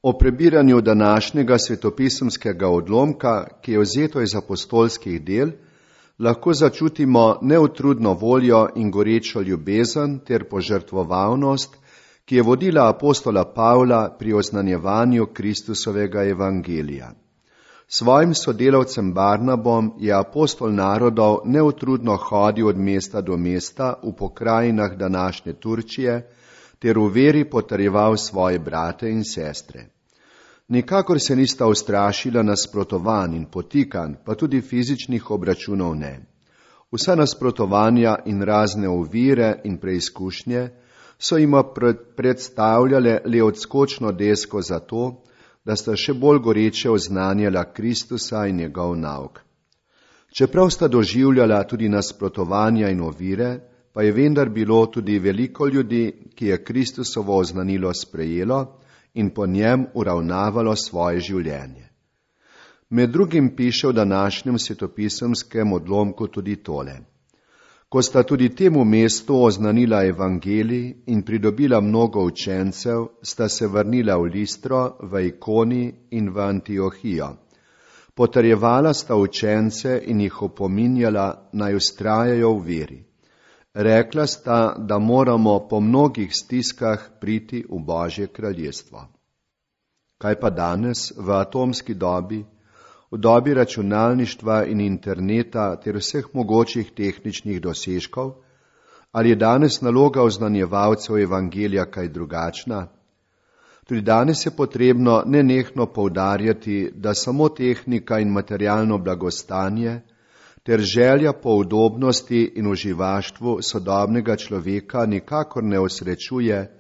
O prebiranju današnjega svetopisemskega odlomka, ki je vzeto iz apostolskih del, lahko začutimo neutrudno voljo in gorečo ljubezen ter požrtvovalnost, ki je vodila apostola Pavla pri oznanjevanju Kristusovega evangelija. Svojim sodelavcem Barnabom je apostol narodov neutrudno hodil od mesta do mesta v pokrajinah današnje Turčije ter v veri potrjeval svoje brate in sestre. Nikakor se nista ustrašila nasprotovanj in potikanj, pa tudi fizičnih obračunov ne. Vsa nasprotovanja in razne ovire in preizkušnje so jima predstavljale le odskočno desko za to, da sta še bolj goreče oznanjala Kristusa in njegov nauk. Čeprav sta doživljala tudi nasprotovanja in ovire, pa je vendar bilo tudi veliko ljudi, ki je Kristusovo oznanilo sprejelo in po njem uravnavalo svoje življenje. Med drugim piše v današnjem svetopisemskem odlomku tudi tole. Ko sta tudi temu mestu oznanila evangelij in pridobila mnogo učencev, sta se vrnila v Listro, v Ikoni in v Antiohijo. Potrjevala sta učence in jih opominjala, naj vztrajajo v veri. Rekla sta, da moramo po mnogih stiskah priti v Božje kraljestvo. Kaj pa danes, v atomski dobi, v dobi računalništva in interneta ter vseh mogočih tehničnih dosežkov, ali je danes naloga oznanjevalcev evangelija kaj drugačna? Tudi danes je potrebno nenehno poudarjati, da samo tehnika in materialno blagostanje ter želja po udobnosti in uživaštvu sodobnega človeka nikakor ne osrečuje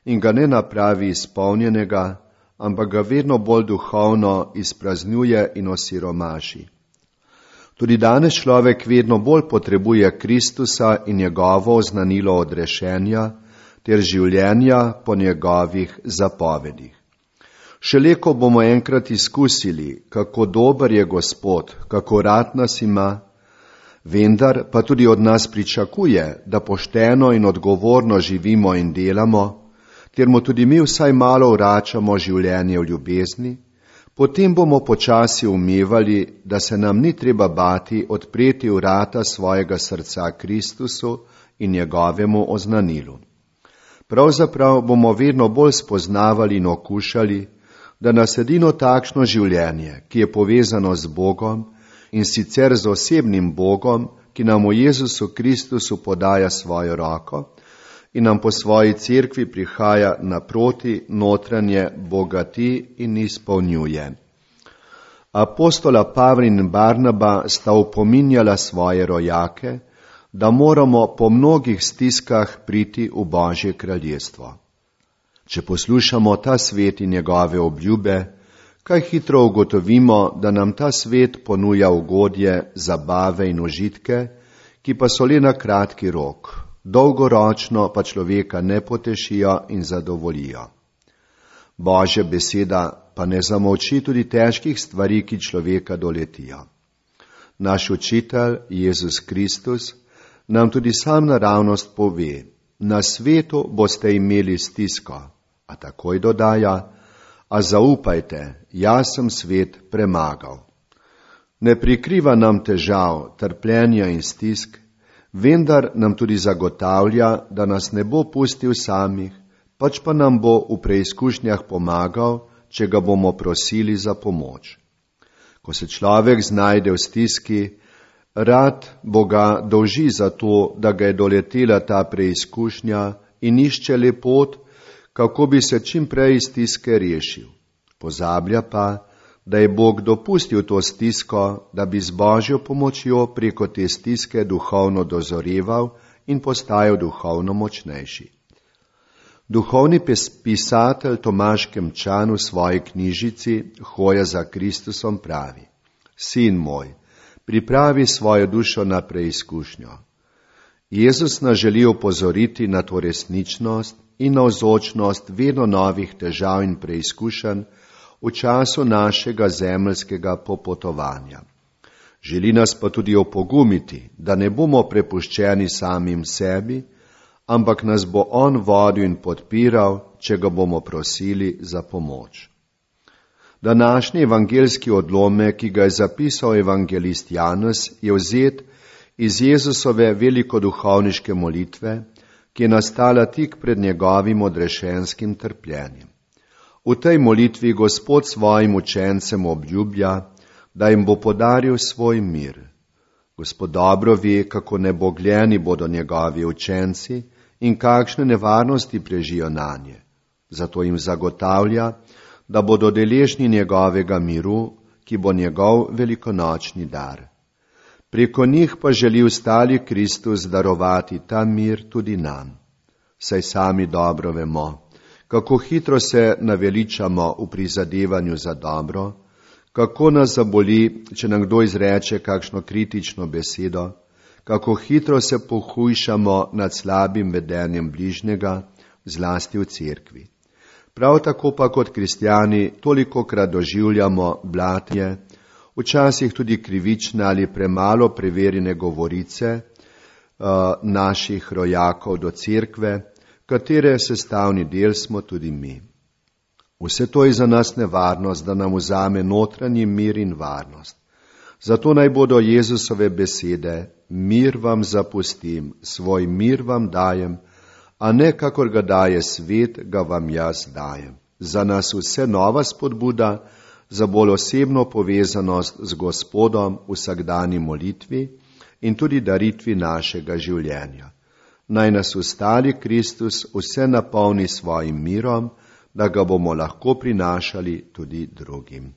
in ga ne napravi izpolnjenega, ampak ga vedno bolj duhovno izpraznjuje in osiromaši. Tudi danes človek vedno bolj potrebuje Kristusa in njegovo oznanilo odrešenja ter življenja po njegovih zapovedih. Šele ko bomo enkrat izkusili, kako dober je Gospod, kako rad nas ima, vendar pa tudi od nas pričakuje, da pošteno in odgovorno živimo in delamo, ter mu tudi mi vsaj malo vračamo življenje v ljubezni, potem bomo počasi umevali, da se nam ni treba bati odpreti vrata svojega srca Kristusu in njegovemu oznanilu. Pravzaprav bomo vedno bolj spoznavali in okušali, da nas edino takšno življenje, ki je povezano z Bogom in sicer z osebnim Bogom, ki nam v Jezusu Kristusu podaja svojo roko in nam po svoji cerkvi prihaja naproti, notranje bogati in izpolnjuje. Apostola Pavla in Barnaba sta opominjala svoje rojake, da moramo po mnogih stiskah priti v Božje kraljestvo. Če poslušamo ta svet in njegove obljube, kaj hitro ugotovimo, da nam ta svet ponuja ugodje, zabave in užitke, ki pa so le na kratki rok, dolgoročno pa človeka ne potešijo in zadovoljijo. Božja beseda pa ne zamolči tudi težkih stvari, ki človeka doletijo. Naš učitelj, Jezus Kristus, nam tudi sam naravnost pove, na svetu boste imeli stisko, a takoj dodaja, a zaupajte, jaz sem svet premagal. Ne prikriva nam težav, trpljenja in stisk, vendar nam tudi zagotavlja, da nas ne bo pustil samih, pač pa nam bo v preizkušnjah pomagal, če ga bomo prosili za pomoč. Ko se človek znajde v stiski, rad Boga dolži za to, da ga je doletela ta preizkušnja in išče le pot, kako bi se čim prej iz stiske rešil. Pozablja pa, da je Bog dopustil to stisko, da bi z Božjo pomočjo preko te stiske duhovno dozoreval in postajal duhovno močnejši. Duhovni pisatelj Tomaž Kemčan v svoji knjižici Hoja za Kristusom pravi: Sin moj, pripravi svojo dušo na preizkušnjo. Jezus nas želi opozoriti na to resničnost in navzočnost vedno novih težav in preizkušenj v času našega zemeljskega popotovanja. Želi nas pa tudi opogumiti, da ne bomo prepuščeni samim sebi, ampak nas bo on vodil in podpiral, če ga bomo prosili za pomoč. Današnji evangeljski odlomek, ki ga je zapisal evangelist Janez, je vzet iz Jezusove velikoduhovniške molitve, ki je nastala tik pred njegovim odrešenskim trpljenjem. V tej molitvi Gospod svojim učencem obljublja, da jim bo podaril svoj mir. Gospod dobro ve, kako nebogljeni bodo njegovi učenci in kakšne nevarnosti prežijo nanje. Zato jim zagotavlja, da bodo deležni njegovega miru, ki bo njegov velikonočni dar. Preko njih pa želi ostali Kristus darovati ta mir tudi nam. Saj sami dobro vemo, kako hitro se naveličamo v prizadevanju za dobro, kako nas zaboli, če nam kdo izreče kakšno kritično besedo, kako hitro se pohujšamo nad slabim vedenjem bližnjega, zlasti v cerkvi. Prav tako pa kot kristjani tolikokrat doživljamo blatje, včasih tudi krivične ali premalo preverjene govorice naših rojakov do cerkve, katere sestavni del smo tudi mi. Vse to je za nas nevarnost, da nam vzame notranji mir in varnost. Zato naj bodo Jezusove besede: mir vam zapustim, svoj mir vam dajem, a ne kakor ga daje svet, ga vam jaz dajem. Za nas vse nova spodbuda za bolj osebno povezanost z Gospodom v vsakdanji molitvi in tudi daritvi našega življenja. Naj nas ostali Kristus vse napolni svojim mirom, da ga bomo lahko prinašali tudi drugim.